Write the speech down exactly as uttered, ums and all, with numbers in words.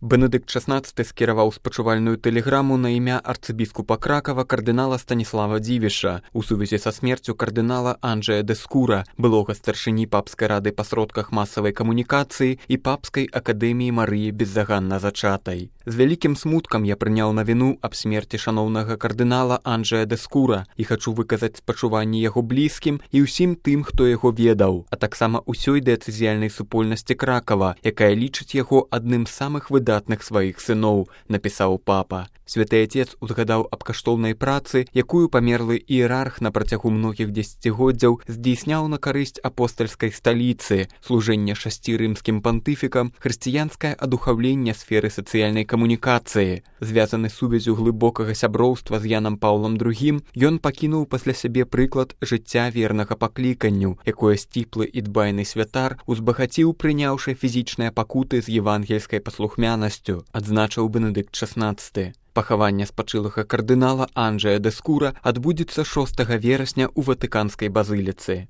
Бенедыкт шаснаццаты скіраваў спачувальную тэлеграму на імя арцыбіскупа Кракава кардынала Станіслава Дзівіша у сувязі са смерцю кардынала Анджэя дэ Скура, былога старшыні папскай рады па сродках масавай камунікацыі і папскай акадэміі Марыі беззаганна зачатай. З вялікім смуткам я прыняў навіну аб смерці шаноўнага кардынала Анджэя дэ Скура і хачу выказаць спачуванні яго блізкім і ўсім тым, хто яго ведаў, а таксама ўсёй дыяцэзіяльнай супольнасці Кракава, якая лічыць яго адным з самых выдатных сваіх сыноў, напісаў папа. Святы Отец узгадаў аб каштоўнай працы, якую памерлы іерарх на працягу многіх дзесяцігоддзяў здзейсняў на карысць апостальскай сталіцы, служэнне шасці рымскім пантыфікам, хрысціянскае адухаўленне сферы сацыяльнай камунікацыі. Звязаны сувязю глыбокага сяброўства з Янам Паўлам другім, ён пакінуў пасля сябе прыклад жыцця вернага пакліканню, якое сціплы і дбайны святар узбагаціў, прыняўшы фізічныя пакуты з евангельскай паслухмянасцю, адзначыў Бенедыкт шаснаццаты. Пахаванне спачылага кардынала Анджэя дэ Скура адбудзецца шостага верасня ў Ватыканскай базыліцы.